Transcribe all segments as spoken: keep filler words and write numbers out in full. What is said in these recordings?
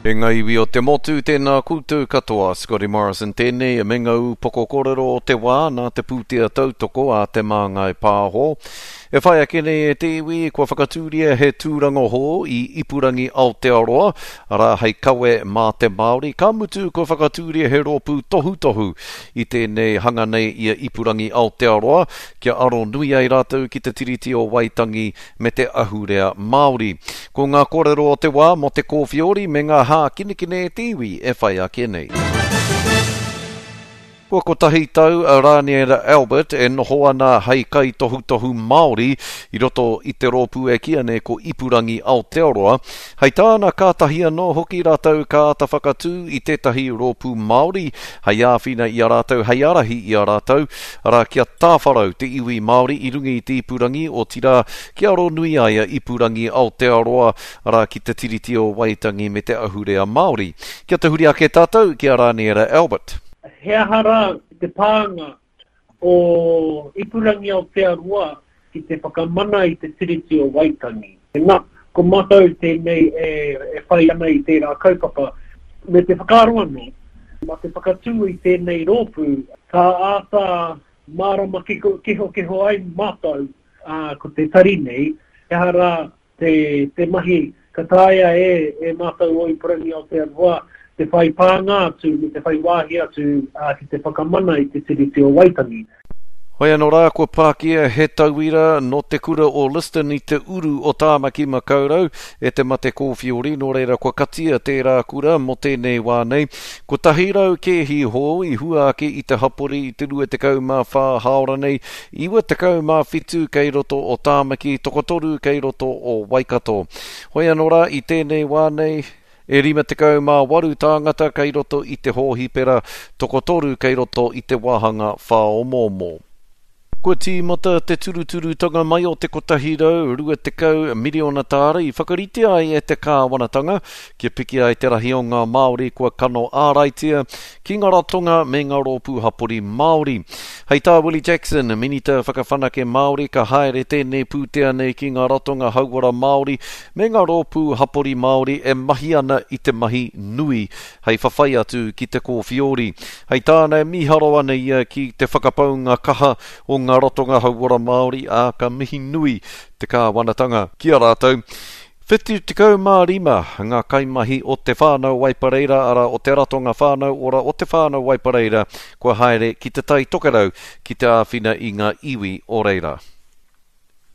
E ngā iwi o te motu, tēnā koutou katoa. Scotty Morrison tēnei, me ngā upoko kōrero o te wā nā te pūtea tautoko a Te Māngai Pāho. E whai ake nei e te iwi, kua whakatūria he tūranga hou i Ipurangi Aotearoa, arā hei kawe mā te Māori, ka mutu kua whakatūria he rōpū tohutohu i tēnei hanga nei i a Ipurangi Aotearoa, kia aro nui ai rātou ki te Tiriti o Waitangi me te ahurea Māori. Ko ngā kōrero o te wā mō te kōwhiori me ngā hākinakina e te iwi e whai ake nei. Kua kotahi tau a Rāniera Albert e noho ana hei kaitohutohu Māori i roto i te rōpū e kīia nei ko Ipurangi Aotearoa. Hei tāna kātahi anō hoki rātou ka āta whakatū i tētahi rōpū Māori hei āwhina i a rātou, hei ārahi i a rātou, arā kia tāwharau te iwi Māori i runga i te ipurangi, otirā kia aro nui ai a Ipurangi Aotearoa, arā ki te Tiriti o Waitangi me te ahurea Māori. Kia tahuri ake tātou ki a Rāniera Albert. He aha rā te pānga o Ipurangi Aotearoa ki te whakamana i te Tiriti o Waitangi? Nā, ko mātou tēnei e, e whai ana i tērā kaupapa. Me te whakaaro anō, mā te whakatū i tēnei rōpū, ka āta mārama kehokeho ai mātou, ā, ko te tari nei, he aha rā te, te mahi ka taea e, e mātou o Ipurangi Aotearoa te whai pānga atu me te whai wāhi atu ā, ki te whakamana i te Tiriti o Waitangi. Hoi anō rā, kua pākia he tauira nō te kura o Liston i te uru o Tāmaki Makaurau e te mate kōwhiori, nō reira kua katia tērā kura mō tēnei wā nei. Kotahi rau kēhi hou i hua ake i te hapori i te rua tekau mā whā hāora nei, iwa tekau mā whitu kei roto o Tāmaki, tokotoru kei roto o Waikato. Hoi anō rā, i tēnei wā nei, e rima tekau mā waru tāngata kei roto i te hōhipera, tokotoru kei roto i te wāhanga whāomoomo. Kua tīmata te turuturutanga mai o te kotahi rau rua tekau miriona tāra i whakaritea ai e te kāwanatanga kia piki ai te rahi o ngā Māori kua kano āraitia ki ngā ratonga me ngā rōpū hapori Māori. Hei tā Willie Jackson, Minita Whakawhanake Māori, ka haere tēnei pūtea nei ki ngā ratonga hauora Māori me ngā rōpū hapori Māori e mahi ana i te mahi nui hei whawhai atu ki te kōwhiori. Hei tāna e mīharo ana ia ki te whakapaunga kaha o ngā ratonga hauora Māori, ā, ka mihi nui te kāwanatanga ki a rātou. Whitu tekau mā rima ngā kaimahi o te whānau Waipareira, arā o te ratonga whānau ora o te whānau Waipareira, kua haere ki te Tai Tokerau ki te āwhina i ngā iwi o reira.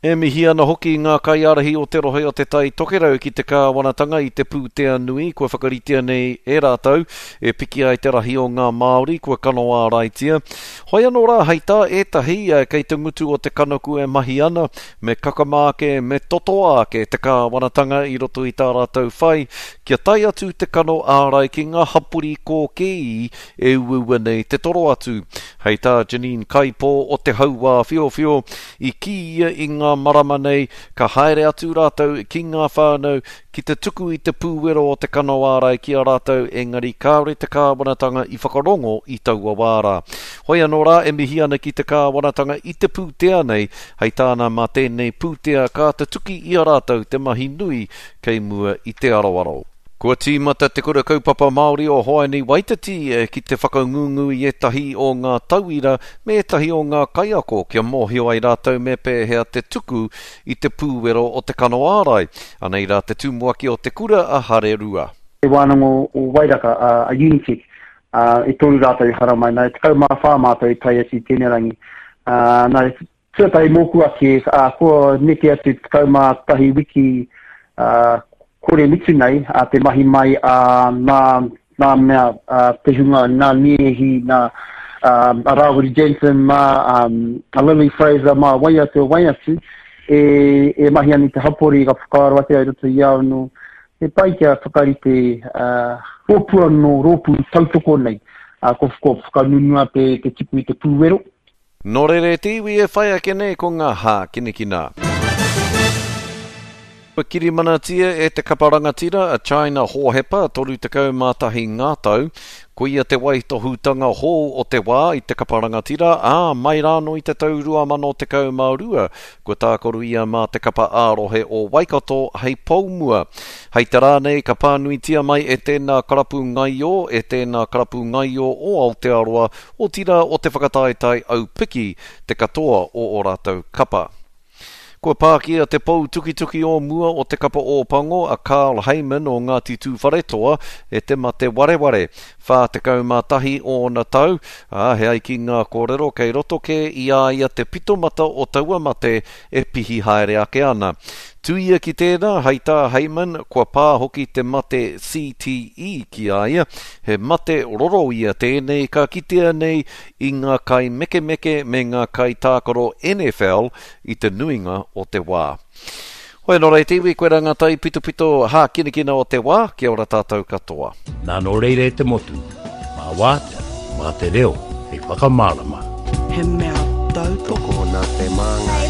E mihi ana hoki ngā kaiārahi o te rohe o te Tai Tokerau ki te kāwanatanga i te pūtea nui kua whakaritea nei e rātou e piki ai te rahi o ngā Māori kua kano āraitia. Hoi anō rā hei tā ētahi kei te ngutu o te kanaku e mahi ana, me kakama ake, me totoa ake te kāwanatanga i roto i tā rātou whai kia tae atu te kano ārai ki ngā hapori kōkēi e uaua nei te toro atu. Hei tā Janine Kaipo o te Hauā Whiowhio, i kī ia i ngā marama nei, ka haere atu rātou ki ngā whānau ki te tuku i te pūwero o te kano ārai ki a rātou, engari kāore te kāwanatanga i whakarongo i taua wā rā. Hoi anō rā e mihi ana ki te kāwanatanga i te pūtea nei, hei tāna mā tēnei pūtea ka tutuki i a rātou te mahi nui kei mua i te aroaro. Kua tīmata te kura kaupapa Māori o Hoani Waititi ki te whakangungu i ētahi o ngā tauira me ētahi o ngā kaiako kia mōhio ai rātou me pēhea te tuku i te pūwero o te kano ārai. Anei rā te tumuaki o te kura a Hare Rua. Te wānanga o Wairaka, a Unitec, e toru rātou i haramai. Nā, e tekau mā whā mātou i tae atu i tēnei rangi. Nā, tuatahi mōku ake, kua neke atu tekau mā tahi wiki kore mutu nei a te mahi mai a nā, nā mea a te hunga, nā Niehi, nā a Rāwiri Jensen, mā a Lily Fraser, mā wai atu, wai atu, e, e mahi ana i te hapori ka whakaaro ake ai roto i au nō. He pai kia whakarite uh, rōpū anō, rōpū tautoko nei, uh, ko, ko whakanunua te, te tuku i te pūwero. Nō reira e te iwi e whai ake nei ko ngā hākinakina. Kua kirimanatia e te kapa rangatira a China Hohepa, toru tekau mā tahi ngā tau. Koia te waitohutanga hou o te wā i te kapa rangatira, ā, mai rānō i te tau rua mano tekau mā rua, kua tākaru ia mā te kapa ā-rohe o Waikato hei poumua. Hei te rā nei ka pānuitia mai e tēnā karapu ngaio, e tēnā karapu ngaio o Aotearoa, otirā o te whakataetae aupiki te katoa o ō rātou kapa. Kua pākia te pou tukituki o mua o te kapa Ōpango a Carl Hayman o Ngāti Tūwharetoa e te mate wareware. Whā tekau mā tahi ōna tau, ā, he ai ki ngā kōrero kei roto kē i a ia te pitomata o taua mate e pihi haere ake ana. Tuia ki tēnā, hei tā Hayman, kua pā hoki te mate C T E ki a ia, he mate roro ia tēnei ka kitea nei i ngā kai mekemeke me ngā kai tākaro N F L i te nuinga o te wā. Hoi anō rei te iwi, koe rā ngā tai pitopito hākinakina o te wā, kia ora tātou katoa. Nā nō reira e te motu, mā wātea, mā te reo, hei whakamārama. He mea tautoko. Tokona te māngai.